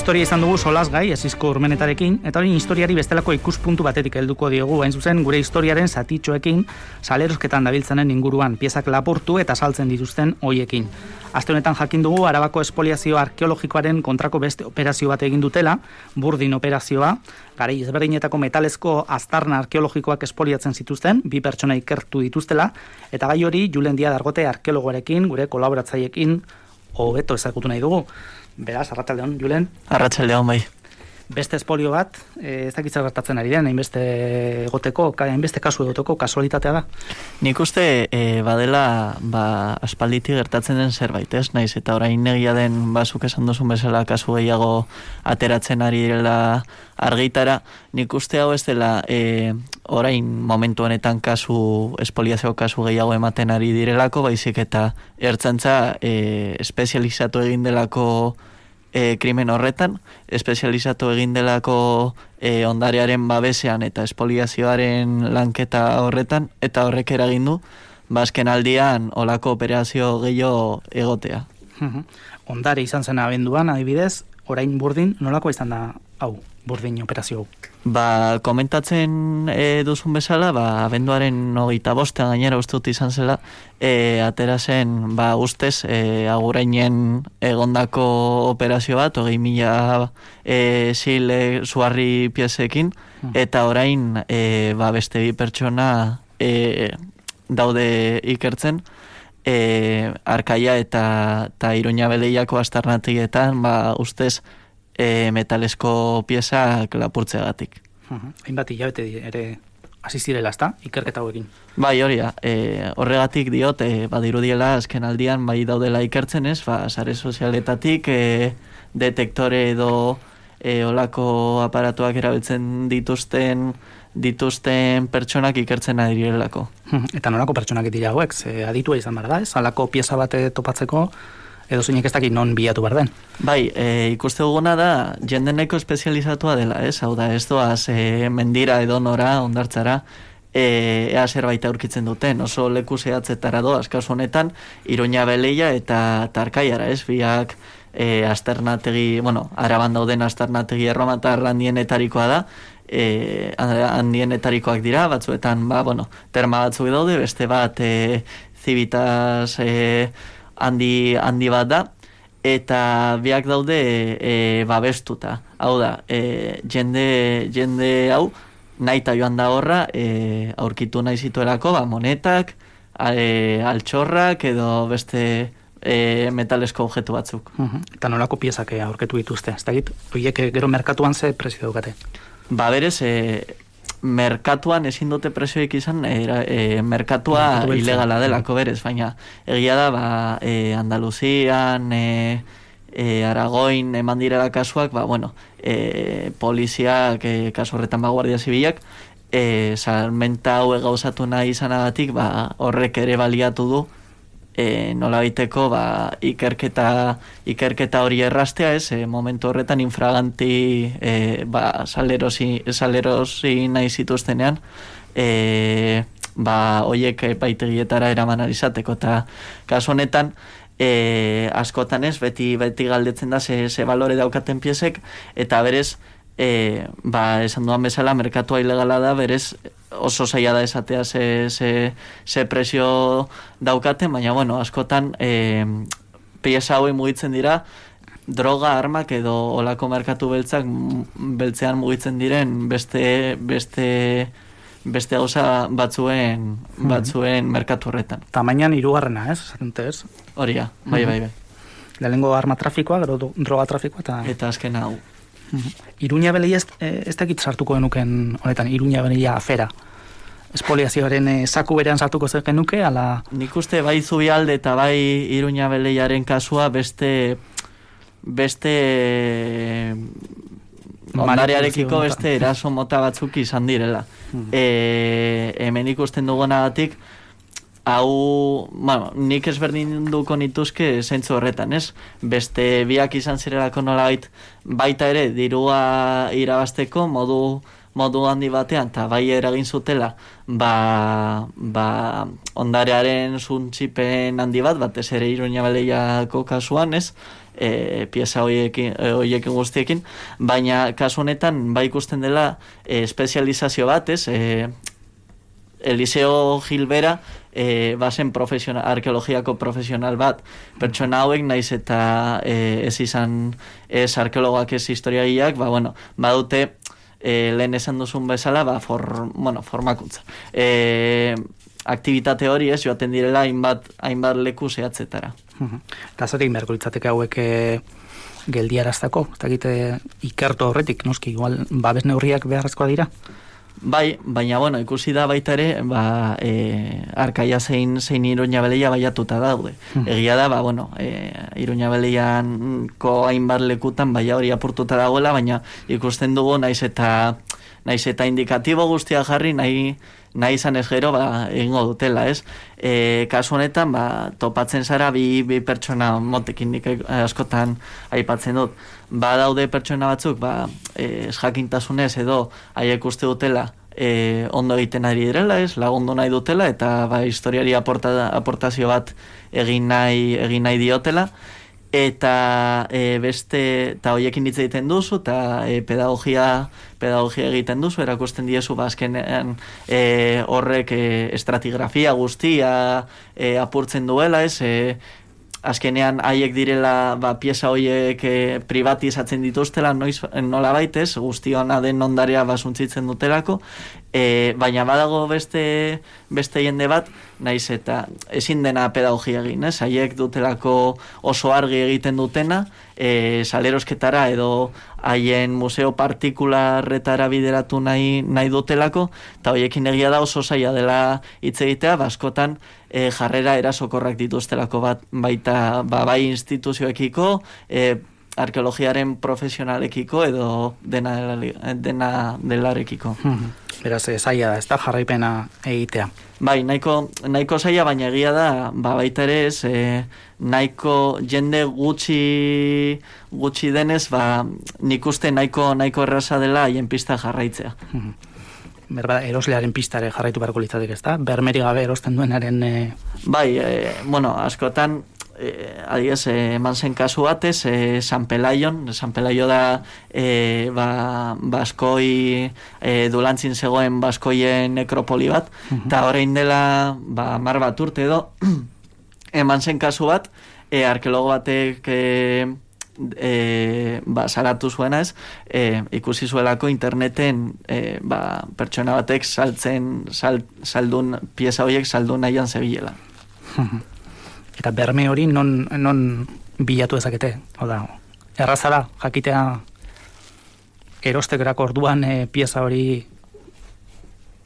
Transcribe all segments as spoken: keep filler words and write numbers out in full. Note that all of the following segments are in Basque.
historia izan dugu solasgai, Ezizko Urmenetarekin, eta hori historiari bestelako ikuspuntu batetik helduko diogu, hain zuzen gure historiaren zatitxoekin, salerosketan dabiltzanen inguruan, piezak lapurtu eta saltzen dituzten hoiekin. Aste honetan jakin dugu Arabako espoliazio arkeologikoaren kontrako beste operazio bat egin dutela, Burdin operazioa, garai ezberdinetako metalezko aztarna arkeologikoak espoliatzen zituzten, bi pertsona ikertu dituztela, eta gai hori Julen Díaz Argote arkeologoarekin, gure kolaboratzaileekin, hobeto ezagutu nahi dugu. Beraz, arratsaldeon, Julen. Arratsaldeon, bai. Beste espolio bat, ez dakitza gertatzen ari den, hainbeste egoteko, hainbeste kasu egoteko, kasualitatea da? Nik uste e, badela ba, aspalditik gertatzen den zerbait, ez? Naiz, eta orain negia den bazuk esan duzun bezala kasu gehiago ateratzen ari direla argitara, nik uste hau ez dela e, orain momentu honetan kasu, espoliazio kasu gehiago ematen ari direlako, baizik eta ertzantza e, espezializatu egin delako E, krimen horretan, espezializatu egin delako e, ondarearen babesean eta espoliazioaren lanketa horretan, eta horrek eragin du, bazken aldian olako operazio gehiago egotea. Ondare izan zen abenduan, adibidez, orain Burdin, nolako izan da hau, Burdin operazio hau? Ba, komentatzen e, duzun bezala, ba, abenduaren hogeita bostean gainera uste dut izan zela, e, atera zen, ba, ustez, e, agurainen egondako operazio bat, hogei mila e, sil e, zuharri piezekin, eta orain, e, ba, beste bi pertsona e, daude ikertzen, e, Arkaia eta, eta Iruña Beleiako astarnatigietan, ba, ustez, E, metalesko piezak lapurtzeagatik. Uh-huh. Hainbat hilabete ere hasi zirela, ezta? Ikerketa hauekin. Bai, hori da. E, horregatik diot, e, badirudiela azken aldian bai daudela ikertzen ez, ba, sare sozialetatik e, detektore edo e, olako aparatuak erabiltzen dituzten dituzten pertsonak ikertzen adirelako. Uh-huh. Eta nolako pertsonak dira hauek? Ze aditua izan behar da, ez? Halako pieza bat topatzeko edo zeinek ez dakit non bilatu behar den. Bai, e, ikuste duguna da, jendeneko espezializatua dela, ez? Hau da, ez doaz e, mendira edo nora, ondartzara, e, ea zerbait aurkitzen duten. Oso leku zehatzetara doaz, kasu honetan, Iruña Beleia eta Tarkaiara, ez? Biak e, asternategi, bueno, Araban dauden asternategi erromatar handienetarikoa da, e, handienetarikoak dira, batzuetan, ba, bueno, terma batzuk daude, beste bat e, Civitas e, handi, handi bat da, eta biak daude e, babestuta. Hau da, e, jende, jende hau nahi eta joan da horra e, aurkitu nahi zituelako, ba, monetak, e, altxorrak edo beste e, metalesko objektu batzuk. Uh-huh. Eta nolako piezak aurkitu dituzte? Ez dakit, horiek gero merkatuan ze prezio daukate? Ba, berez, e, merkatuan ezin dute presioik izan, e, e, merkatua ilegala delako berez, baina egia da, ba, e, Andaluzian, e, e, Aragoin eman direla kasuak, ba, bueno, e, poliziak, e, kasu horretan ba, Guardia Zibilak, e, salmenta hau gauzatu nahi izanagatik, ba, horrek ere baliatu du, e, nola baiteko, ba, ikerketa, ikerketa hori errastea, ez, e, momentu horretan infraganti e, ba, salerosi, salerosi nahi zituztenean, e, ba, oiek epaitegietara eraman izateko, eta kasu honetan, e, askotan ez, beti, beti galdetzen da ze, ze balore daukaten piezek, eta berez, e, ba, esan duan bezala, merkatua ilegala da, berez, oso zaila da esatea ze, ze, ze presio daukaten, baina bueno, askotan e, pieza hauei mugitzen dira droga, armak edo olako merkatu beltzak beltzean mugitzen diren beste beste beste gauza batzuen batzuen merkatu horretan. Tamainan hirugarrena, ez? Esatente, ez? Horia, bai, bai, bai. Lehenengo arma trafikoa, gero droga trafikoa eta eta azken hau. Iruña Beleia ez, ez dakit sartuko genuken honetan, Iruña Beleia afera. Espoliazioaren e, saku berean sartuko zer genuke, ala... Nik uste bai Zubialde eta bai Iruña Beleiaren kasua beste... beste... ondarearekiko beste eraso mota batzuk izan direla. Hmm. E, hemen ikusten dugunagatik, hau, bueno, nik ezberdin duko nituzke zentzu horretan, ez? Beste biak izan zirelako nolabait baita ere dirua irabasteko modu modu handi batean, eta bai eragin zutela, ba, ba ondarearen zuntzipen handi bat, batez ere Iruña Beleiako kasuan, ez, e, pieza horiekin, horiekin guztiekin, baina kasu honetan, bai ikusten dela, e, espezializazio bat, ez, e, Eliseo Gilbera, e, bazen profesional, arkeologiako profesional bat, pertsona hauek naiz eta e, ez izan ez arkeologoak ez historiaiak, ba, bueno, badute e, lehen esan duzun bezala, ba, for, bueno, formakuntza. E, aktivitate hori ez, joaten direla hainbat, hainbat leku zehatzetara. Eta zer egin beharko litzateke hauek e, geldiaraztako? Ez dakite ikertu horretik, noski, igual babes neurriak beharrezkoa dira? Bai, baina, bueno, ikusi da baita ere, ba, e, Arkaia zein, zein Iruña Beleia baiatuta daude. Hmm. Egia da, ba, bueno, e, Iruña Beleianko hainbat lekutan baia hori apurtuta dagoela, baina ikusten dugu naiz eta naiz eta indikatibo guztia jarri, nahi, nahi izan ez gero, ba, egingo dutela, ez? E, kasu honetan, ba, topatzen zara bi, bi pertsona motekin nik askotan aipatzen dut. Ba, daude pertsona batzuk, ba, e, ez jakintasunez edo haiek uste dutela e, ondo egiten ari direla, ez? Lagundu nahi dutela, eta ba, historiari aporta, aportazio bat egin nahi, egin nahi diotela. Eta e, beste, eta hoiekin hitz egiten duzu, eta e, pedagogia, pedagogia egiten duzu, erakusten diezu, ba, azkenean e, horrek e, estratigrafia guztia e, apurtzen duela, ez, e, azkenean haiek direla, ba, pieza hoiek e, privatizatzen dituztela, noiz, nola baitez, guztiona den ondarea basuntzitzen dutelako, e, baina badago beste, beste jende bat, naiz eta ezin dena pedagogia egin, ez? Haiek dutelako oso argi egiten dutena, e, salerosketara edo haien museo partikularretara bideratu nahi, nahi dutelako, eta hoiekin egia da oso zaila dela hitz egitea, baskotan e, jarrera erasokorrak dituztelako bat, baita ba, bai instituzioekiko, e, arkeologiaren profesionalekiko edo dena, dena delarekiko. Beraz, zaila da, ez da jarraipena egitea. Bai, nahiko, nahiko zaila, baina egia da, ba, baita ere ez, e, nahiko jende gutxi, gutxi denez, ba, nik uste nahiko, nahiko erraza dela haien pista jarraitzea. Berba, eroslearen pistare jarraitu beharko litzatek, ez da? Bermeri gabe erosten duenaren... E... Bai, e, bueno, askotan, Eh, adiez, eh, eman zen kasu batez, eh, San Pelaion, San Pelaio da eh, ba, Baskoi, eh, Dulantzin zegoen Baskoien nekropoli bat, eta uh-huh. orain dela ba, mar bat urte edo, eman zen kasu bat, eh, arkeologo batek eh, eh, ba, salatu zuena ez, eh, ikusi zuelako interneten eh, ba, pertsona batek saltzen, sal, saldun, pieza horiek saldun nahian zebilela. Eta berme hori non, non bilatu ezakete? Oda, errazara, jakitea erostekerako orduan e, pieza hori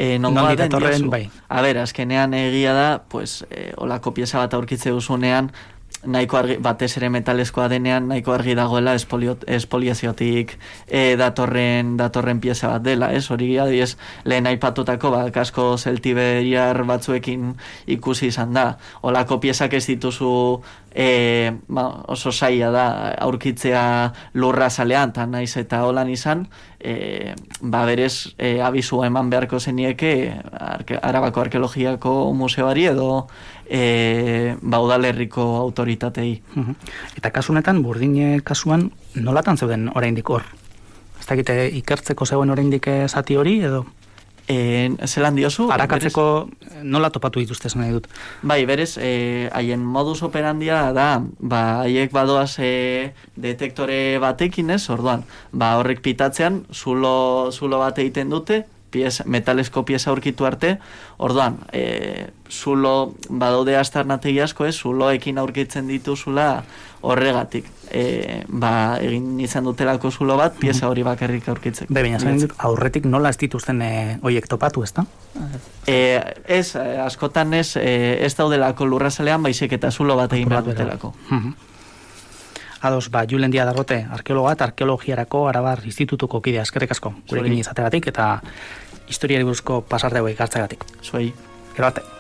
e, non ditatorren, bai. A ber, azkenean egia da, pues, e, olako pieza bat aurkitze duzunean, nahiko argi, batez ere metalezkoa denean, nahiko argi dagoela espoliot, espoliaziotik e, datorren, datorren pieza bat dela, ez? Hori adiez, lehen aipatutako, ba, kasko zeltiberiar batzuekin ikusi izan da. Olako piezak ez dituzu e, ba, oso zaila da aurkitzea lurra zalean, eta naiz eta holan izan, e, ba, berez e, abizua eman beharko zenieke arke, Arabako Arkeologiako Museoari edo E, ba, udalerriko autoritatei. Uh-huh. Eta kasunetan, Burdine kasuan, nolatan zeuden oraindik hor? Ez dakite ikertzeko zegoen oraindik zati hori, edo? E, zelan diozu? Arakatzeko berez, nola topatu dituzte zen nahi dut? Bai, berez, e, haien modus operandia da, ba, haiek badoaz e, detektore batekin ez, orduan, ba, horrek pitatzean, zulo, zulo bat egiten dute, pieza, metalesko pieza aurkitu arte, orduan, e, zulo, badaude astarnategi asko, ez, zuloekin aurkitzen dituzula horregatik. E, ba, egin izan dutelako zulo bat, pieza hori bakarrik aurkitzeko. Be, baina zain dut, aurretik nola ez dituzten e, oiek topatu, ez da? E, ez, askotan ez, e, ez daudelako lurrazalean, baizik eta zulo bat egin behar dutelako. Ados, ba, Julen Díaz Arrote, arkeologa eta arkeologiarako Arabar Institutuko kidea, eskerrik asko, gurekin izategatik eta historiari buruzko pasarte hauek hartzegatik. Zuei. Gero arte.